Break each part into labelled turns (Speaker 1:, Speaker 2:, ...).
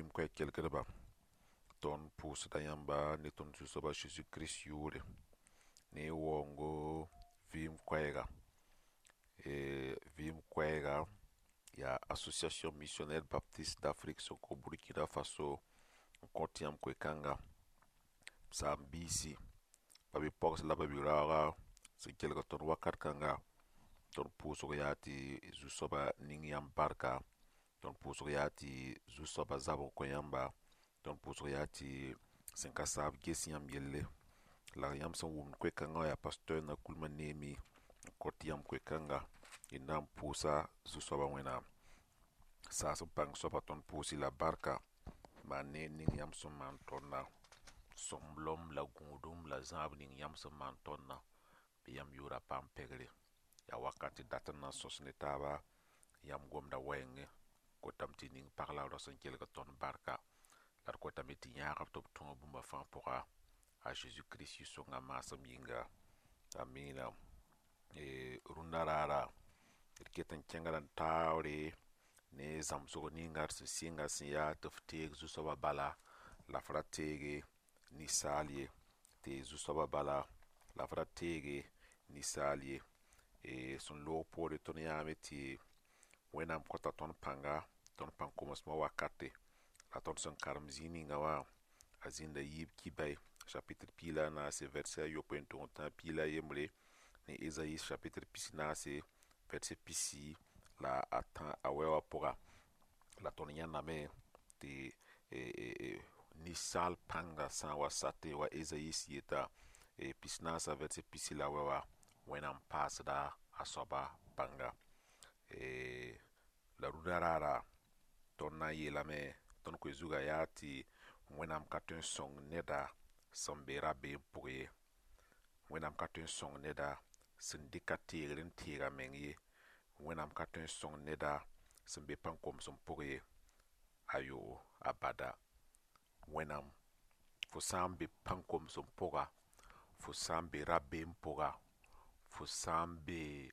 Speaker 1: Vɩɩm koɛɛg kelgdba, tõnd pʋʋsda yãmba ne tõnd Zu-soaba Zeezi Kirist yʋʋre ne y waoongo vɩɩm koɛɛga. Vɩɩm koɛɛga yaa Association Missionnaire Baptiste d'Afrique sẽn kõ Burkina Faso n kõt yãmb koe-kãnga. M saam-biisi, ba-bi-pogs la ba-bi-raooga sẽn kelg tõnd wakat kãnga, tõnd pʋʋsg yaa tɩ Zu-soaba ning yãmb barka, tõnd pʋʋsg yaa tɩ Zu-soaba zab n kõ yãmba, tõnd pʋʋsg yaa tɩ sẽn ka saab ges yãmb yelle. La yãmb sẽn wʋmd koe-kãngã wã yaa pasteur Nakulma Neemi n kõt yãmb koe-kãnga. D na n pʋʋsa Zu-soabã Wẽnnaam. Saas n pãng soaba tõnd pʋʋs-y la barka maan ne ning yãmb sẽn maan tõndã. Sõmblem la gũudum la zãab ning yãmb sẽn maan tõndã. Bɩ yãmb yʋʋra paam pɛgre. Yaa wakat tɩ dat n na n sõs ne taaba yãmb gomda wɛɛngẽ. Kotame tɩ ning pag la rao sẽn kelg tõnd barka. La d kotame tɩ yãagb tɩ b tõog bũmba fãa pʋga a Zeezi Kirist yɩ-sõnga maasem yĩnga. Amiina. Rũndã raara d ket n kẽngda n taoore ne zãmsg ninga d sẽn sɩnga sẽn yaa tɩ f teeg Zu-soabã bala la f ra teege ninsaal ye. Teeg Zu-soabã bala la f ra teege ninsaal ye. Sẽn loog poore tõnd yãame tɩ Wẽnnaam kõta tõnd pãnga, tõnd pãn-komsmã wakate. La tõnd sẽn karem zĩig ninga wã, a zĩnda yiib kibai chapitre 14 verset a yopoe n tʋg n tã 11 ne Ezayi chapitre 44 verset 43 a wɛ wã pʋga. La tõnd yãndame tɩ ninsaal pãnga sã n wa satẽ wa Ezayi yeta 44 verset 40 la wɛ wã, Wẽnnaam paasda a soaba pãnga. La rũndã raara tõnd na n yeelame tõnd koe zugã yaa tɩ Wẽnnaam ka tõe n sõng neda sẽn be rabeem pʋg ye. Wẽnnaam ka tõe n sõng neda sẽn dɩk a teegr n teeg a meng ye. Wẽnnaam ka tõe n sõng neda sẽn be pãn-komsem pʋg ye. Ayo, abada. Wẽnnaam, fo sã n be pãn-komsem pʋga, fo sã n be rabeem pʋga, fo sã n be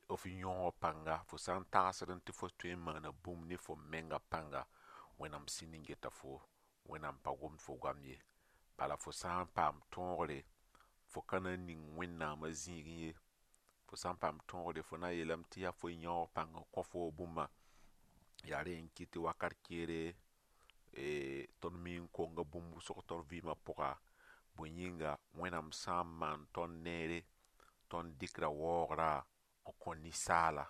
Speaker 1: f yõog pãnga, fo sã n tagsd tɩ fo tõe n maana bũmb ne fo menga pãnga, Wẽnnaam sĩnd n geta fo, Wẽnnaam pa gomd fo goam ye. Bala fo sã n paam tõogre, fo ka na n ning Wẽnnaamã zĩigẽ ye. Fo sã n paam tõogre, fo na n yeelame tɩ yaa fo yãoog pãng n kõ fo bũmba. Yaa rẽ n kɩt tɩ wakat kẽere tõnd mi n konga bũmb wʋsg tõnd vɩɩmã pʋga. Bõe yĩnga Wẽnnaam sã n maan tõnd neere, tõnd dɩkda waoogrã n kõ ninsaala.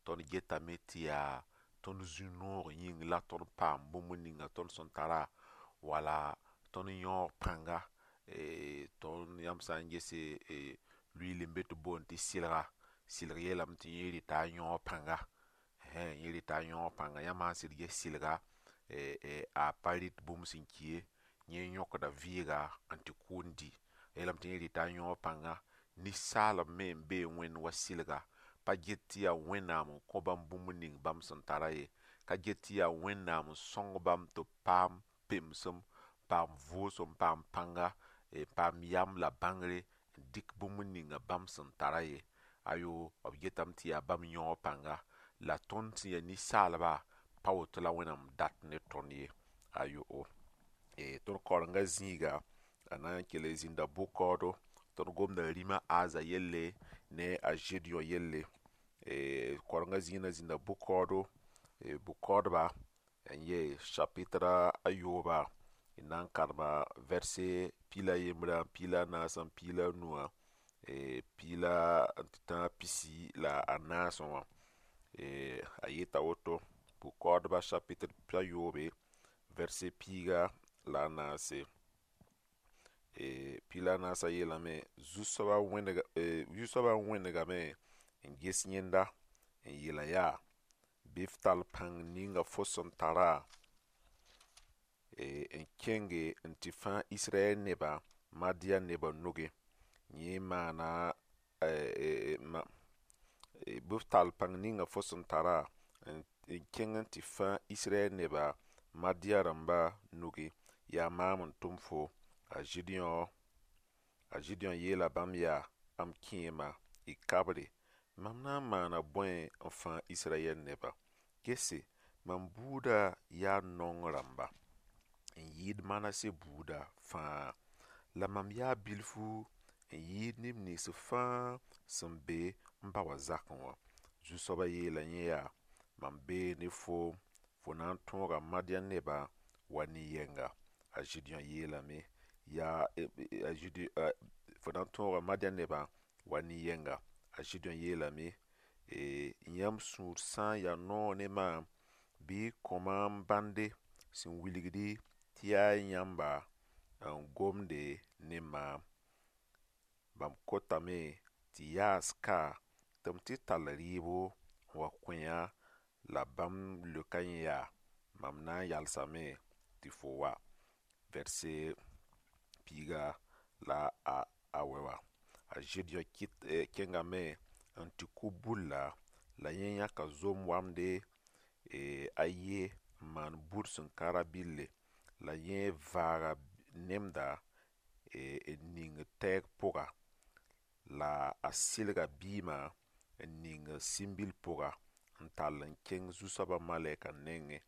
Speaker 1: Tõnd getame tɩ yaa tõnd zũ-noog yĩng la tõnd paam bũmb ninga tõnd sẽn tara, wala tõnd yãoog pãnga. Tõnd yãmb sã n gese luiil n be tɩ boond tɩ sɩlga, sɩlg yeelame tɩ yẽ rɩta a yãoog pãnga. Yẽ rɩta a yãoog pãnga. Yãmb sã n sɩd ges sɩlga, a pa rɩt bũmb sẽn ki ye, yẽ yõkda vɩɩga n tɩ kʋ n dɩ. A yeelame tɩ yẽ rɩta a yãoog pãnga. Ninsaalb me n bee Wẽnd wa sɩlga, pa get tɩ yaa Wẽnnaam n kõ bãmb bũmb ning bãmb sẽn tara ye, ka get tɩ yaa Wẽnnaam n sõng bãmb tɩ b paam pemsem, paam vʋʋsem, paam pãnga, paam yam la bãngre n dɩk bũmb ninga bãmb sẽn tara ye. Ayo, b getame tɩ yaa bãmb yãoog pãnga. La tõnd sẽn yaa ninsaalba, pa woto la Wẽnnaam dat ne tõnd ye. Ayo, tõnd kaorengã zĩiga a na n kell n zĩnda bʋ-kaoodo. Tõnd gomda rĩma Aza yelle ne a Gedeon yelle. Kaorengã zĩig na zĩnda bʋ-kaoodo, bʋ-kaoodba n yee chapitre a yooba, d na n karema verset 11, 14, 15, 34 wã. A yeta woto, bʋ-kaoodba chapitre a yoobe, verset 14. 14 yeelame, Zu-soabã wẽnegame n ges yẽnda n yeela yaa, bɩ f tall pãng ninga fo sẽn tara n kẽnge n tɩ fãag Israyɛl nebã Madian nebã nugẽ. Yẽ maana bɩ f tall pãng ninga fo sẽn tara n kẽng n tɩ fãag Israyɛl nebã Madian rãmba nugẽ. Yaa maam n tʋm fo. A Gideon yeela bãmb yaa, m kẽema, y kabre, mam na n maana bõe n fãag Israyɛl nebã? Gese, Mam buudã yaa naong rãmba n yɩɩd Manase buuda fãa. La mam yaa bilfu n yɩɩd neb nins fãa sẽn be m ba wã zakẽ wã. Zu-soabã yeela yẽ yaa: Mam bee ne foom, fo na n tõoga Madiyã nebã wa nin-yɛnga. A Zedeyõ yeelame yaa a Zede fo na n tõoga Madiyã nebã wa nin-yɛnga. A Zedeyõ yeelame yãmb sũur sã n ya noog ne maam, bɩ y kõ maam bãnde sẽn wilgdi tɩ yaa yãmba n gomde ne maam. Mam kotame tɩ yaas ka tɩ m tɩ tall rɩɩbo n wa kõ-yã la bãmb leoka yẽ yaa: Mam na n yalsame tɩ fo wa. Vɛrse piiga la a wɛ wã. A Zedeyõ kɩt kẽngame n tɩ kʋ bulla, la yẽ yãka zom wamde a ye n maan bur sẽn ka rabɩlle. La yẽ vaaga nemda n ning tɛɛg pʋga. La a sɩlga biimã n ning sĩmbil pʋga n tall n kẽng zu-soabã malɛkã nengẽ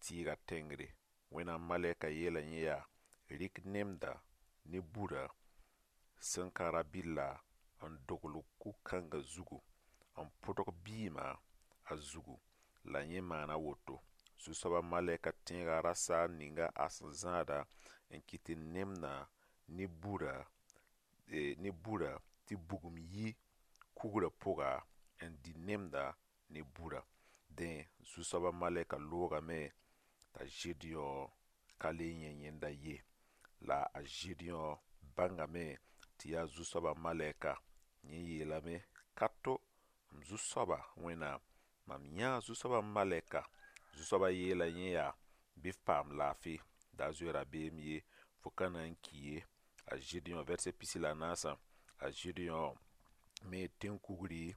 Speaker 1: tɩɩga tẽngre. Wẽnnaam malɛka yeela yẽ yaa: Rɩk nemda ne burã sẽn ka rabɩlla n dogl kug-kãngã zugu, n pʋdg biimã a zugu. La yẽ maana woto. Zu-soabã malɛka tẽega rasaar ninga a sẽn zãada n kɩt tɩ nemdã ne burã ne burã tɩ bugum yi kugrã pʋga n dɩ nemda ne burã. Dẽ, zu-soabã malɛka loogame t'a Zedeyõ ka le yẽ yẽnda ye. La a Zedeyõ bãngame tɩ yaa zu-soabã malɛka. Yẽ yeelame: Ka to, m zu-soaba Wẽnnaam, mam yãa zu-soabã malɛka. Zu-soabã yeela yẽ yaa: Bɩ f paam laafɩ, da zoe rabeem ye, fo ka na n ki ye. A Zedeyõ vɛrsɛ pisi la a naasã, a Zedeyõ me tẽn-kugri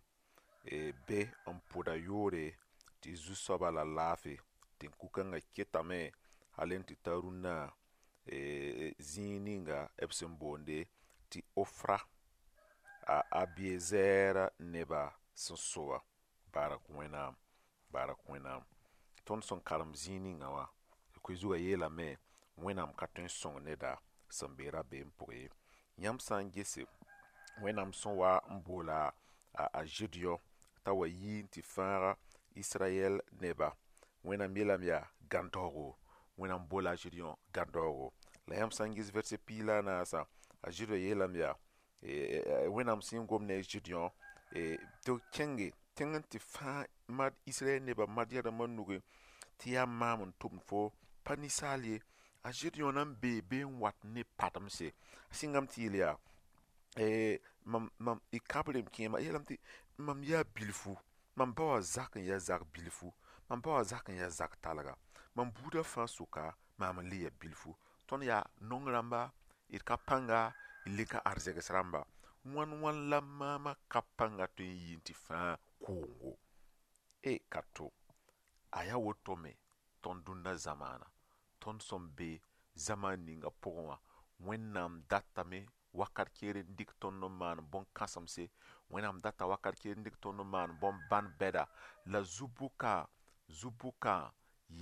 Speaker 1: be n pʋd a yʋʋre tɩ zu-soaba la laafɩ. Tẽn-kug-kãngã ketame hal n tɩ ta rũnnã zĩig ninga b sẽn boonde tɩ Ofra, a Abiezɛɛr neba sẽn so wã. Barak Wẽnnaam, barak Wẽnnaam. Tõnd sẽn karem zĩig ninga wã, koe zugã yeelame, Wẽnnaam ka tõe n sõng neda sẽn be rabeem pʋgẽ ye. Yãmb sã n gese, Wẽnnaam sẽn wa n boola a Zedeyõ t'a wa yi n tɩ fãag Israyɛl neba, Wẽnnaam yeelame yaa gãndaoogo. Wẽnnaam boola a Zedeyõ gãndaoogo. La yãmb sã n ges vɛrse piig la a naasã, a Zedeyõ yeelame yaa, Wẽnnaam sẽn gom ne a Zedeyõ tɩ b kẽnge tẽng n tɩ fãag Israyɛl nebã Madiyã rãmbã nugẽ tɩ yaa maam n tʋmd fo pa ninsaal ye. A Zedeyõ na n bee be n wat ne pademse. A sɩngame tɩ yeel yaa, mam mam y kabre m kẽema, a yeelame tɩ mam yaa bilfu, mam ba wã zak n yaa zak bilfu, mam ba wã zak n yaa zak talga. Mam buudã fãa sʋka, maam n le yaa bilfu. Tõnd yaa naong rãmba, d ka pãnga, d le ka arzegs rãmba. Wãn wãn la maamã ka pãnga tõe n yi n tɩ fãag koongo. E ka to. A yaa woto me tõnd dũnna zamaana. Tõnd sẽn be zamaan ninga pʋgẽ wã, Wẽnnaam datame wakat keer n dɩk tõnd n maan bõn-kãsemse, Wẽnnaam data wakat keer n dɩk tõnd n maan bõn-bãn bɛda. La zu-bʋka, zu-bʋka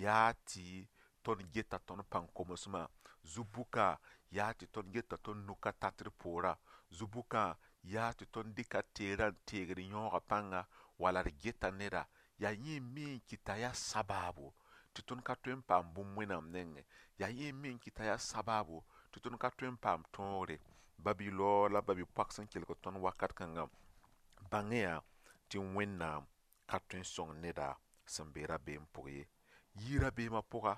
Speaker 1: yaa tɩ tõnd geta tõnd pãn-komsmã. Zu-bʋka yaa tɩ tõnd geta tõnd nu ka tat d poorã. Zu-bʋka yaa tɩ tõnd dɩka teerã n teegd yãooga pãnga, wala d geta neda. Yaa yẽ n mi n kɩt t'a yaa sabaabo tɩ tõnd ka tõe n paam bũmb Wẽnnaam nengẽ. Yaa yẽ n mi n kɩt t'a yaa sabaabo tɩ tõnd ka tõe n paam tõogre. Ba-bi-laoog la ba-bi-poak sẽn kelg tõnd wakat kãngã, bãng-y-yã tɩ Wẽnnaam ka tõe n sõng neda sẽn be rabeem pʋgẽ ye. Yi rabeemã pʋga,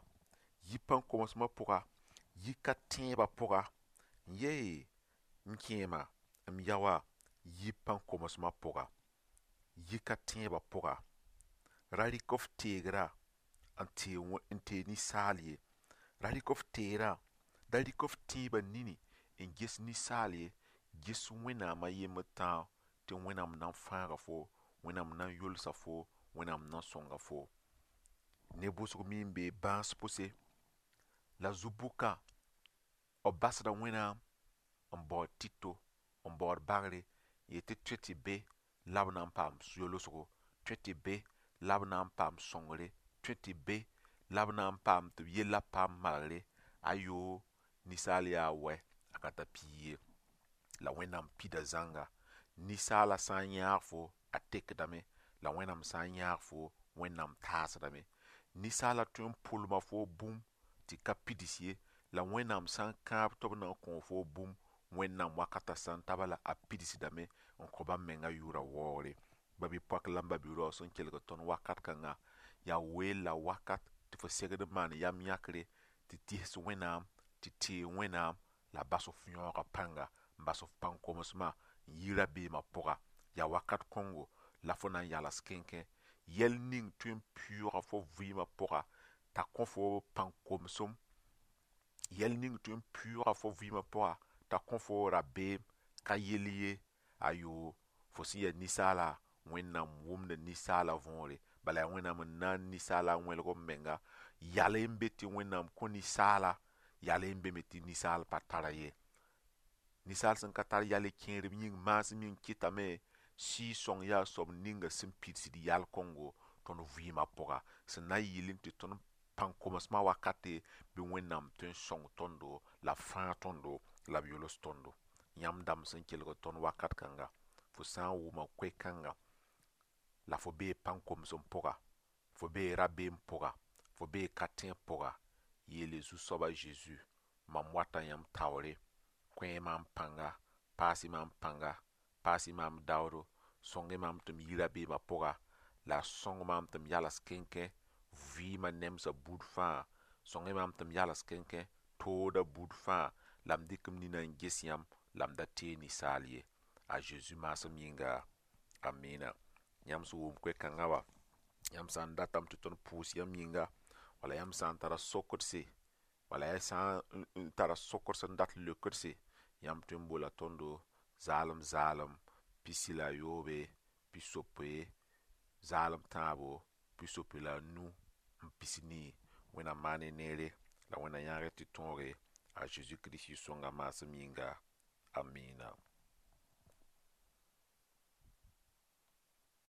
Speaker 1: yi pãn-komsmã pʋga, yi ka tẽebã pʋga, n yee m kẽema, m yaoã, yi pãn-komsmã pʋga, yi ka tẽebã pʋga. Ra rɩk f teegrã n teeg ninsaal ye. Ra rɩk f teerã, da rɩk f tẽebã nini n ges ninsaal ye, ges Wẽnnaam a yembr tãag tɩ Wẽnnaam na n fãaga fo, Wẽnnaam na n yolsa fo, Wẽnnaam na n sõnga fo. Ne wʋsg me n bee bãas pʋse, la zu-bʋka b basda Wẽnnaam n baood tito, n baood bagre, n yet tɩ tõe tɩ be la b na n paam yolsgo, tõe tɩ be la b na n paam sõngre. Tõe tɩ be la b na n paam tɩ b yella paam malgre. Ayoo, ninsaal yaa wɛ, a ka tar piig ye. La Wẽnnaam pida zãnga. Ninsaala sã n yãag fo, a tekdame, la Wẽnnaam sã n yãag fo, Wẽnnaam taasdame. Ninsaala tõe n pʋlma fo bũmb tɩ ka pids ye, la Wẽnnaam sã n kãab tɩ b na n kõ fo bũmb, Wẽnnaam wakatã sã n ta bala a pidsdame n kõ bãmb menga yʋʋra waoogre. Ba-bi-poak la m ba-bi-raoog sẽn kelg tõnd wakat kãnga, yaa weel la wakat tɩ fo segd n maan yam yãkre, tɩ tɩs Wẽnnaam, tɩ teeg Wẽnnaam, la bas f yãooga pãnga, n bas f pãn-komsmã n yi rabeemã pʋga. Yaa wakat kõngo la fo na n yals kẽnkẽ. Yɛl ning tõe n pɩʋʋga fo vɩɩmã pʋga t'a kõ fo pãn-komsem, yɛl ning tõe n pɩʋʋga fo vɩɩmã pʋga t'a kõ fo rabeem ka yell ye. Ayoo, fo sẽn yaa ninsaala, Wẽnnaam wʋmda ninsaala võore. Bala yaa Wẽnnaam n na n ninsaala n wẽlg b menga. Yal n be tɩ Wẽnnaam kõ ninsaala, yal n be me tɩ ninsaal pa tara ye. Ninsaal sẽn ka tar yal kẽerem yĩng maasem yĩng kɩtame Sɩɩg-sõng yaa soab ninga sẽn pidsd yal kõngo tõnd vɩɩmã pʋga. Sẽn na n yɩlẽ tɩ tõnd pãn-komsmã wakate bɩ Wẽnnaam tõe n sõng tõndo la b fãag tõndo la b yols tõndo. Yãmb dãmb sẽn kelg tõnd wakat kãnga, fo sã n wʋma koe-kãnga la fo bee pãn-komsem pʋga, fo bee rabeem pʋga, fo bee ka-tẽeb pʋga, yeele Zu-soaba Zeezi, mam wata yãmb taoore, kõ-y maam pãnga, paas-y maam pãnga, paas-y maam daoodo, sõng-y maam tɩ m yi rabeemã pʋga, la a sõng maam tɩ m yals kẽnkẽ vɩɩmã nemsã buud fãa, sõng-y maam tɩ m yals kẽnkẽ tooda buud fãa, la m dɩk m nina n ges yãmb la m da teeg ninsaal ye. A Zeezi maasem yĩnga, amiina. Yãmb sẽn wʋm koe-kãngã wa, yãmb sã n datame tɩ tõnd pʋʋs yãmb yĩnga, wala yãmb sã n tara sokdse, wala ya sã n tara sokd sẽn dat leokdse, yãmb tõe n bola tõndo zaalem zaalem 63, 60 3 65 40. Wẽnnaam maan neere la Wẽnnaam yãag tɩ tõoge a Zeezi Kirist sõnga maasem yĩnga. Amiina.